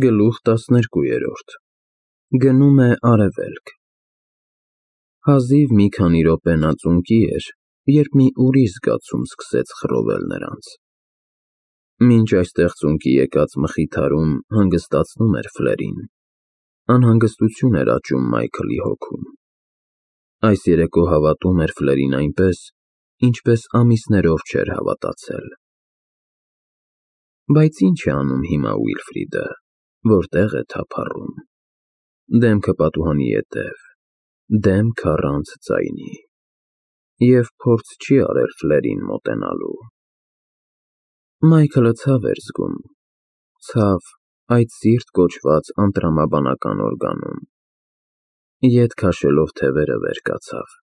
Գլուխ 12 Գնում է արևելք։ Հազիվ մի քանի րոպե նա ծունկի էր, երբ մի ուրիշ զգացում սկսեց խռովել նրանց։ Մինչ այստեղ ծունկի եկած մխիթարում հանգստացնում էր Ֆլերին, անհանգստություն էր աճում Մայքլի հոգում։ Այս երեկո հավատում էր Ֆլերին այնպես, ինչպես ամիսներով չէր հավատացել։ Բայց ի՞նչ է անում հիմա Ուիլֆրիդը, որտեղ է թափառում։ Դեմքը պատուհանի ետև, դեմք առանց ձայնի, և փորձ չի արել Ֆլերին մոտենալու։ Մայքլը ցավ էր զգում, ցավ այդ սիրտ կոչված անտրամաբանական օրգանում։ Ետ քաշելով թևերը վեր կացավ։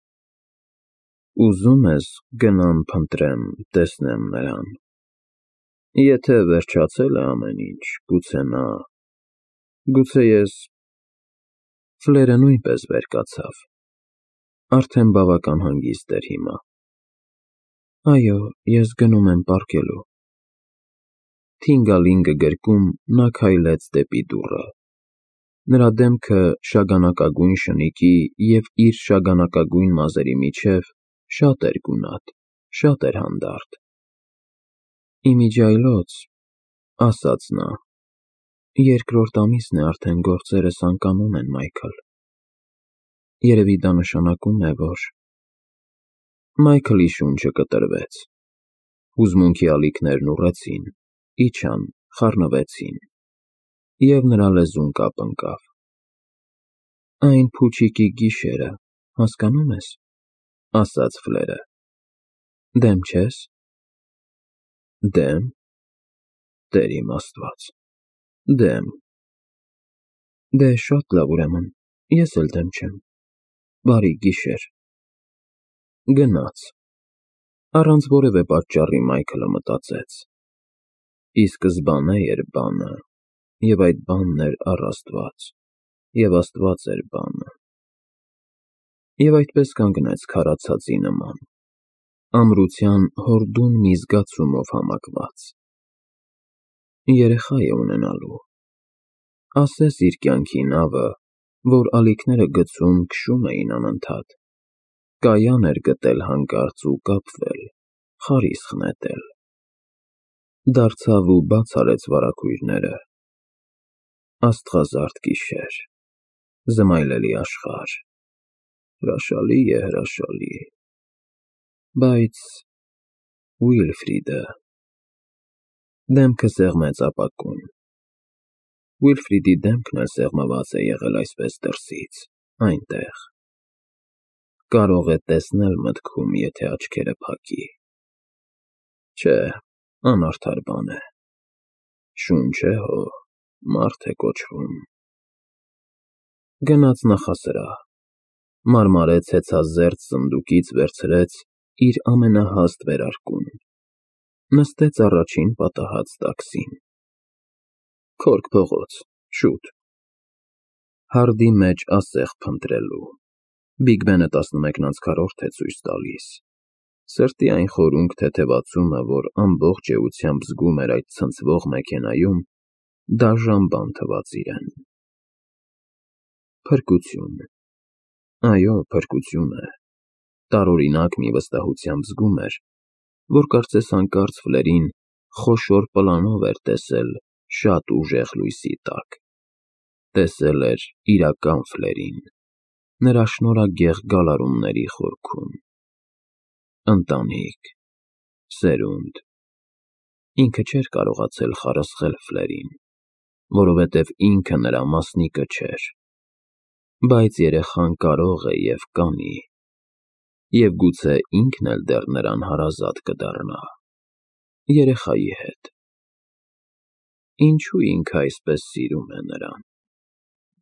Ուզում ես գնամ փնտրեմ, տեսնեմ նրան։ Եթե վերջացել է ամեն ինչ, գուցե նա… Գուցե ես… Ֆլերը նույնպես վեր կացավ, արդեն բավական հանգիստ էր հիմա։ Այո, ես գնում եմ պառկելու։ Թինգալինգը գրկում, նա քայլեց դեպի դուռը։ Նրա դեմքը շագանակագույն շնիկի և իր շագանակագույն մազերի միջև շատ էր գունատ, շատ էր հանդարտ։ Ի միջի այլոց, ասաց նա, երկրորդ ամիսն է արդեն գործերս անկանում են, Մայքլ։ Երևի դա նշանակում է, որ… Մայքլի շունչը կտրվեց։ Հուզմունքի ալիքներն ուռեցին, իջան, խառնվեցին, և նրա լեզուն կապ ընկավ։ Այն փուչիկի գիշերը, հասկանո՞ւմ ես, ասաց Ֆլերը։ Դեմ չե՞ս։ Դեմ… Տեր իմ Աստված… Դեմ… Դե շատ լավ, ուրեմն, ես էլ դեմ չեմ։ Բարի գիշեր։ Գնաց։ Առանց որևէ պատճառի Մայքլը մտածեց. Ի սկզբանե էր բանը, և այդ բանն էր առ Աստված, և Աստված էր բանը։ Եվ այդպես կանգնեց քարացածի նման, ամրության հորդուն մի զգացումով համակված։ Երեխա է ունենալու։ Ասես իր կյանքի նավը, որ ալիքները գցում, քշում էին անընդհատ, կայան էր գտել հանկարծ ու կապվել, խարիսխ նետել։ Դարձավ ու բաց արեց վարագույրները։ Աստղազարդ գիշեր, զմայլելի աշխարհ, հրաշալի է, հրաշալի… Բայց… Ուիլֆրիդը… Դեմքը սեղմեց ապակուն։ Ուիլֆրիդի դեմքն էլ սեղմված է եղել այսպես դրսից, այնտեղ։ Կարող է տեսնել մտքում, եթե աչքերը փակի։ Չէ, անարդար բան է։ Շունչ է հո, մարդ է կոչվում։ Գնաց նախասրահ, մարմարեց հեծազերծ սնդուկից վերցրեց իր ամենահաստ վերարկուն, նստեց առաջին պատահած տաքսին։ Քորք փողոց, շուտ։ Հարդի մեջ ասեղ փնտրելու։ Բիգ Բենը 11:4 է ցույց տալիս։ Սրտի այն խորունկ թեթևացումը, որ ամբողջ էությամբ զգում էր այդ ցնցվող մեքենայում, դաժան բան թվաց իրեն։ Փրկություն… Այո, փրկություն է։ Տարօրինակ մի վստահությամբ զգում էր, որ կարծես հանկարծ Ֆլերին խոշոր պլանով էր տեսել շատ ուժեղ լույսի տակ։ Տեսել էր իրական Ֆլերին, նրա շնորհագեղ գալարումների խորքում։ Ընտանիք… Սերունդ… Ինքը չէր կարողացել խարսխել Ֆլերին, որովհետև ինքը նրա մասնիկը չէր։ Բայց երեխան կարող է և կանի, և գուցե ինքն էլ դեռ նրան հարազատ կդառնա… երեխայի հետ։ Ինչո՞ւ ինքը այսպես սիրում է նրան։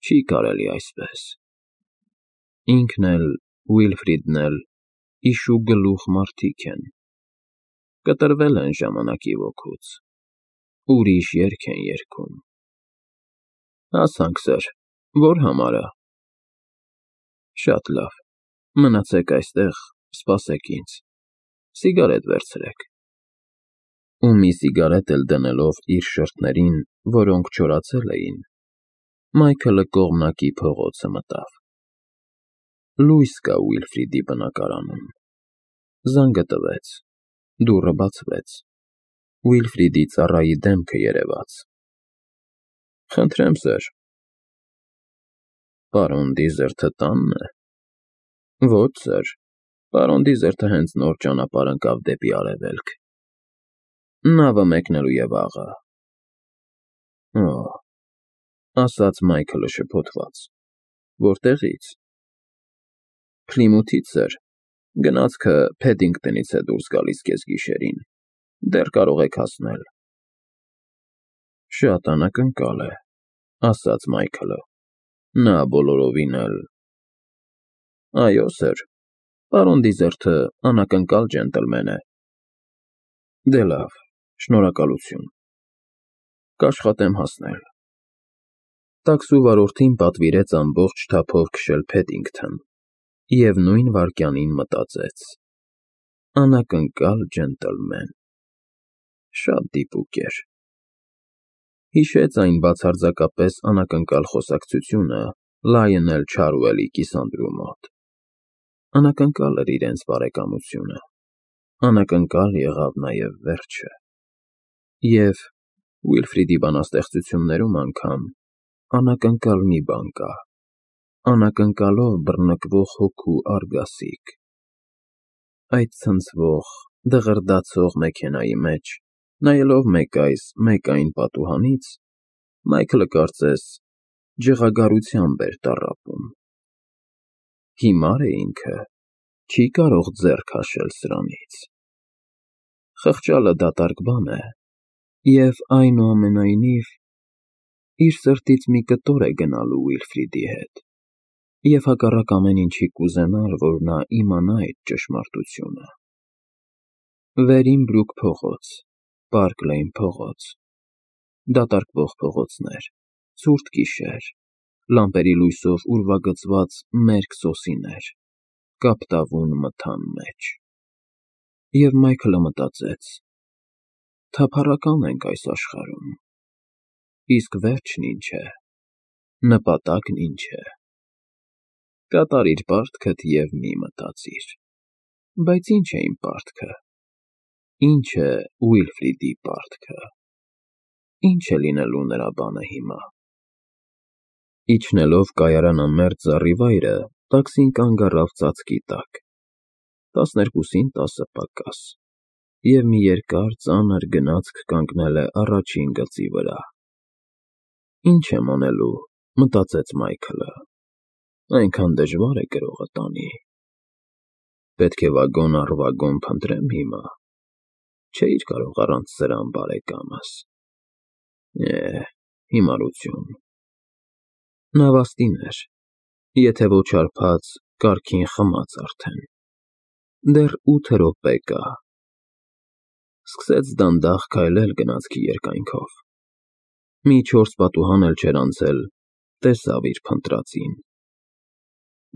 Չի կարելի այսպես։ Ինքն էլ, Ուիլֆրիդն էլ իշուգլուխ մարդիկ են։ Կտրվել են ժամանակի ոգուց, ուրիշ երգ են երգում։ Հասանք, սըր, ո՞ր համարը։ Շատ լավ, մնացեք այստեղ, սպասեք ինձ, սիգարետ վերցրեք։ ու մի սիգարետ էլ դնելով իր շրթներին, որոնք չորացել էին, Մայքլը կողմնակի փողոցը մտավ։ Լույս կա Ուիլֆրիդի բնակարանում։ Զանգը տվեց, դուռը բացվեց։ Ուիլֆրիդի ծառայի դեմքը երևաց։ Խնդրեմ, սըր։ Պարոն Դիզերթը տանն է։ Ոչ, սըր, պարոն Դիզերթը հենց նոր ճանապարհ ընկավ դեպի արևելք։ Նավը մեկնելու է վաղը։ Օ, ասաց Մայքլը շփոթված։ Որտեղից։ Փլիմութից, սըր, գնացքը Փեդինգտոնից է դուրս գալիս կեսգիշերին, դեռ կարող եք հասնել։ Շատ անակնկալ է, ասաց Մայքլը, նա բոլորովին էլ… Այո, սըր, պարոն Դիզերթը անակնկալ ջենտլմեն է։ Դե լավ, շնորհակալություն, կաշխատեմ հասնել։ Տաքսու վարորդին պատվիրեց ամբողջ թափով քշել Փեդինգթոն, և նույն վայրկյանին մտածեց. անակնկալ ջենտլմեն… Շատ դիպուկ էր։ Հիշեց այն բացարձակապես անակնկալ խոսակցությունը Լայոնել Չարուելի կիսանդրու մոտ։ Անակնկալ էր իրենց բարեկամությունը, անակնկալ եղավ նաև վերջը։ Եվ Ուիլֆրիդի բանաստեղծություններում անգամ անակնկալ մի բան կա, անակնկալով բռնկվող հոգու արգասիկ։ Այդ ցնցվող, դղրդացող մեքենայի մեջ, նայելով մեկ այս, մեկ այն պատուհանից, Մայքլը կարծես ջղագարությամբ էր տառապում։ Հիմար է ինքը, չի կարող ձեռ քաշել սրանից։ Խղճալը դատարկ բան է, և այնուամենայնիվ իր սրտից մի կտոր է գնալու Ուիլֆրիդի հետ, և հակառակ ամեն ինչի կուզենար, որ նա իմանա այդ ճշմարտությունը։ Վերինբրուք փողոց, Պարկ Լեյն փողոց, դատարկվող փողոցներ, ցուրտ գիշեր, լամպերի լույսով ուրվագծված մերկ սոսիներ, կապտավուն մթան մեջ։ Եվ Մայքլը մտածեց. թափառական ենք այս աշխարհում, իսկ վերջն ինչ է, նպատակն ինչ է։ Կատարիր պարտքդ և մի մտածիր։ Բայց ինչ է իմ պարտքը, ինչ է Ուիլֆրիդի պարտքը, ինչ է լինելու նրա բանը հիմա։ Իջնելով կայարանամերձ զառիվայրը, տաքսին կանգ առավ ծածկի տակ, 12:10 պակաս, և մի երկար, ծանր գնացք կանգնել է առաջին գծի վրա։ Ինչ եմ անելու, մտածեց Մայքլը, այնքան դժվար է կրողը տանի։ Պետք է վագոն առ վագոն փնտրեմ հիմա, չէիր կարող առանց սրան, բարեկամս։ Հիմարություն։ Նավաստին էր, եթե ոչ հարբած, կարգին խմած արդեն։ Դեռ 8 րոպե կա։ Սկսեց դանդաղ քայլել գնացքի երկայնքով։ Մի 4 պատուհան էլ չէր անցել, տեսավ իր փնտրածին։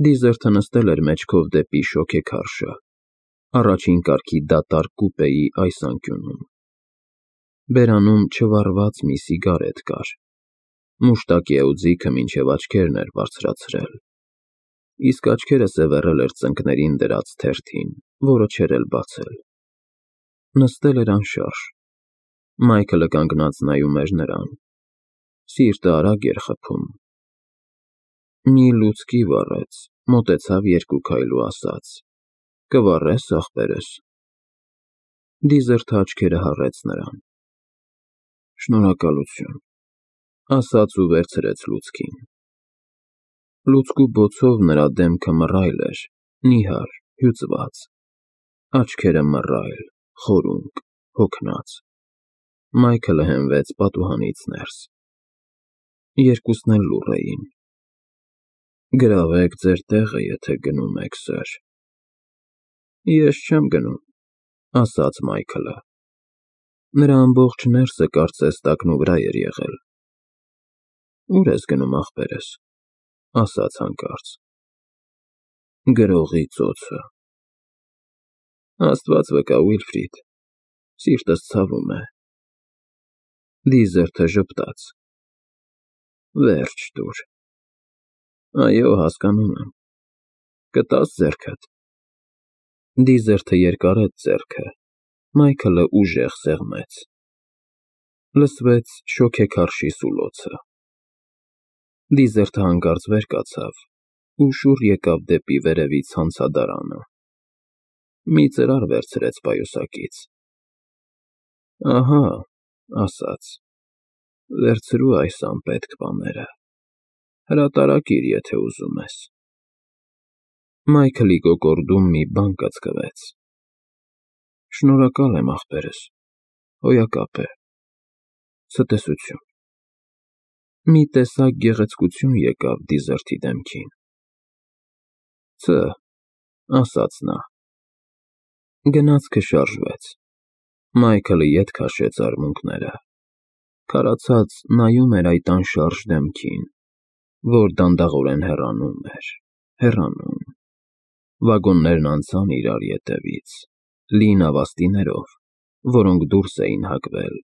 Դիզերթը նստել էր մեջքով դեպի շոգեքարշը, առաջին կարգի դատարկ կուպեի այս անկյունում։ Բերանում չվառված մի սիգարետ կար, մուշտակի էուձիքը մինչև աչքերն էր բարձրացրել, իսկ աչքերը սևեռել էր ծնկներին դրած թերթին, որը չէր էլ բացել։ Նստել էր անշարժ։ Մայքլը կանգնած նայում էր նրան, սիրտը արագ էր խփում։ Մի լուցկի վառեց, մոտեցավ 2 քայլ ու ասաց. կվառե՞ս, ախպերս։ Դիզերթը աչքերը հառեց նրան։ Շնորհակալություն, ասաց ու վերցրեց լուցկին։ Լուցկու բոցով նրա դեմքը մռայլ էր, նիհար, հյուծված, աչքերը մռայլ, խորունկ, հոգնած։ Մայքլը հենվեց պատուհանից ներս։ Երկուսն էլ լուռ էին։ Գրավեք ձեր տեղը, եթե գնում եք, սըր։ Ես չեմ գնում, ասաց Մայքլը։ Նրա ամբողջ ներսը կարծես տակնուվրա էր եղել։ Ո՞ւր ես գնում, ախպերս, ասաց հանկարծ։ Գրողի ծոցը։ Աստված վկա, Ուիլֆրիդ, Սիրտս ցավում է։ Դիզերթը ժպտաց։ Վերջ տուր։ Այո, հասկանում եմ։ Կտա՞ս ձեռքդ։ Դիզերթը երկարեց ձեռքը, Մայքլը ուժեղ սեղմեց։ Լսվեց շոգեքարշի սուլոցը։ Դիզերթը հանկարծ վեր կացավ ու շուռ եկավ դեպի վերևի ցանցադարանը։ Մի ծրար վերցրեց պայուսակից։ Ահա, ասաց, վերցրու այս անպետք բաները, հրատարակիր, եթե ուզում ես։ Մայքլի կոկորդում մի բան կծկվեց։ Շնորհակալ եմ, ախպերս, հոյակապ է, ցտեսություն։ Մի տեսակ գեղեցկություն եկավ Դիզերթի դեմքին։ Ց, ասաց նա։ Գնացքը շարժվեց։ Մայքլը ետ քաշեց արմունկները։ Քարացած նայում էր այդ անշարժ դեմքին, որ դանդաղորեն հեռանում էր, հեռանում։ Վագոններն անցան իրար ետևից, լի նավաստիներով, որոնք դուրս էին հակվել,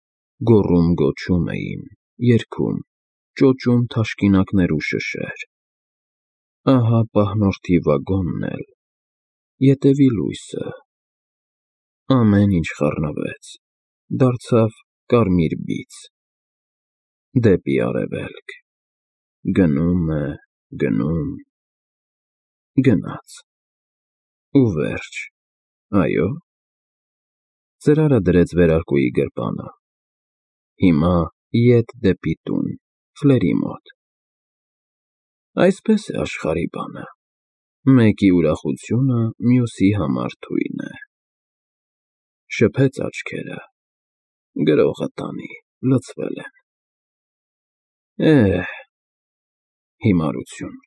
գոռում-գոչում էին, երգում, ճոճում թաշկինակներ ու շշեր։ Ահա պահնորդի վագոնն էլ, ետևի լույսը։ Ամեն ինչ խառնվեց, դարձավ կարմիր բիծ։ Դեպի արևելք։ Գնում է, գնում, գնաց։ Ու վերջ, այո։ Ծրարը դրեց վերարկուի գրպանը։ Հիմա ետ դեպի տուն, Ֆլերի մոտ։ Այսպես է աշխարհի բանը. մեկի ուրախությունը մյուսի համար թույն է։ Շփեց աչքերը, գրողը տանի, լցվել են։ Հիմարություն։